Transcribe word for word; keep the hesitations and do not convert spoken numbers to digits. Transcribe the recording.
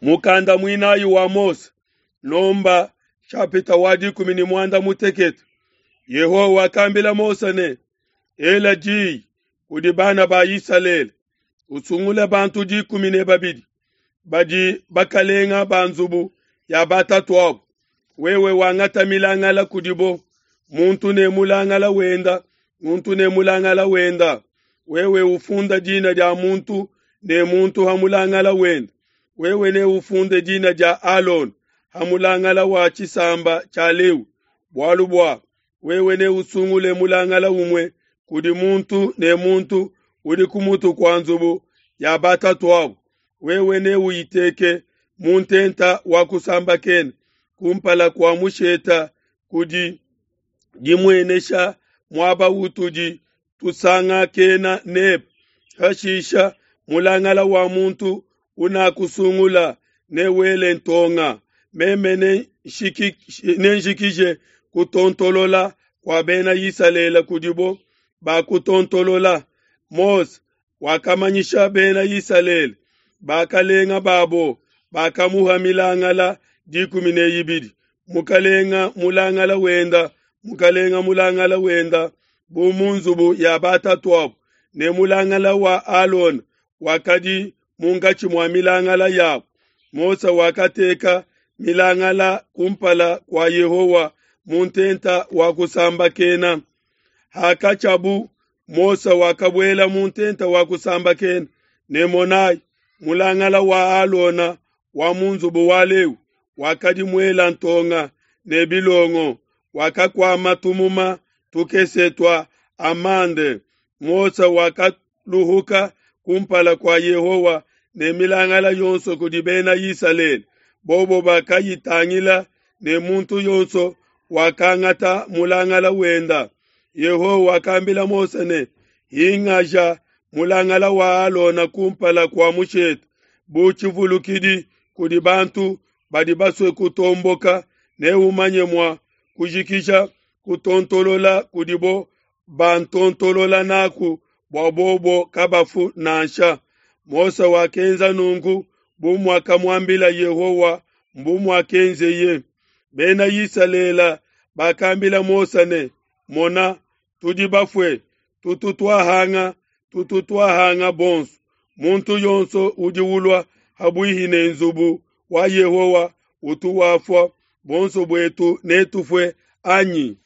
Mukanda muinayi wa Mose, Nomba chapitre wa dikumi ne muanda mutekete. Yehowa wakambila Mose ne, ela diyi kudi bana ba Isalele, usungule bantu dikumi ne babidi badi bakalenga ba nzubu ya batatuabu. Wewe wangata milangala kudibo, muntu ne mulangala wenda, muntu ne mulangala wenda. Wewe ufunda dina dia muntu ne muntu ha mulangala wenda. Wewe ne ufunde dina dia Alona ha mulangala wa tshisamba tshia Lewi, bualu bua wewe ne usungule mulangala umue kudi muntu ne muntu udi ku mutu kua nzubu ya batatuabu. Wewe ne uyiteke mu ntenta wa kusambakena kumpala kua musheta kudi dimuenesha muaba utudi tusangakena nebe. Hashisha mulangala wa muntu unakusungula ne wele ntonga, meme nenjikije kutontolola kua bena Isalele kudibo bakutontolola. Mose wakamanyisha bena Isalele, bakalenga babo bakamuha milangala dikumi ne ibidi, mukalenga mulangala wenda, mukalenga mulangala wenda, bu mu nzubu ya batatuabu, ne mulangala wa Alona wakadi munkatshi mua milangala yabo. Mose wakateka milangala kumpala kua Yehowa mu ntenta wa kusambakena. Hakatshiabu Mose wakabuela mu ntenta wa kusambakena, ne monai, mulangala wa Alona wa mu nzubu wa Lewi wakadi muela ntonga ne bilongo, wakakuama tumuma tukese tua amande. Mose wakaluhuka kumpala kua Yehowa ne milangala yonso kudi bena Isalele. Bobo bakayitangila ne muntu yonso wakangata mulangala wenda. Yehowa wakambila Mose ne, hingaja mulangala wa Alona kumpala kua mushete bu tshivulukidi kudi bantu badi basue kutomboka, ne umanye mua kujikija kutontolola kudibo bantontolola naku bua bobo kabafu nansha. Mose wakenza nunku bu muakamuambila Yehowa, mbu muakenzeye. Bena Isalele bakambila Mose ne, mona, tudi bafue, tutu twahanga, tutu twahanga bonso. Muntu yonso udi ulua habuihi ne nzubu wa Yehowa utu wafua, bonso buetu netufue anyi?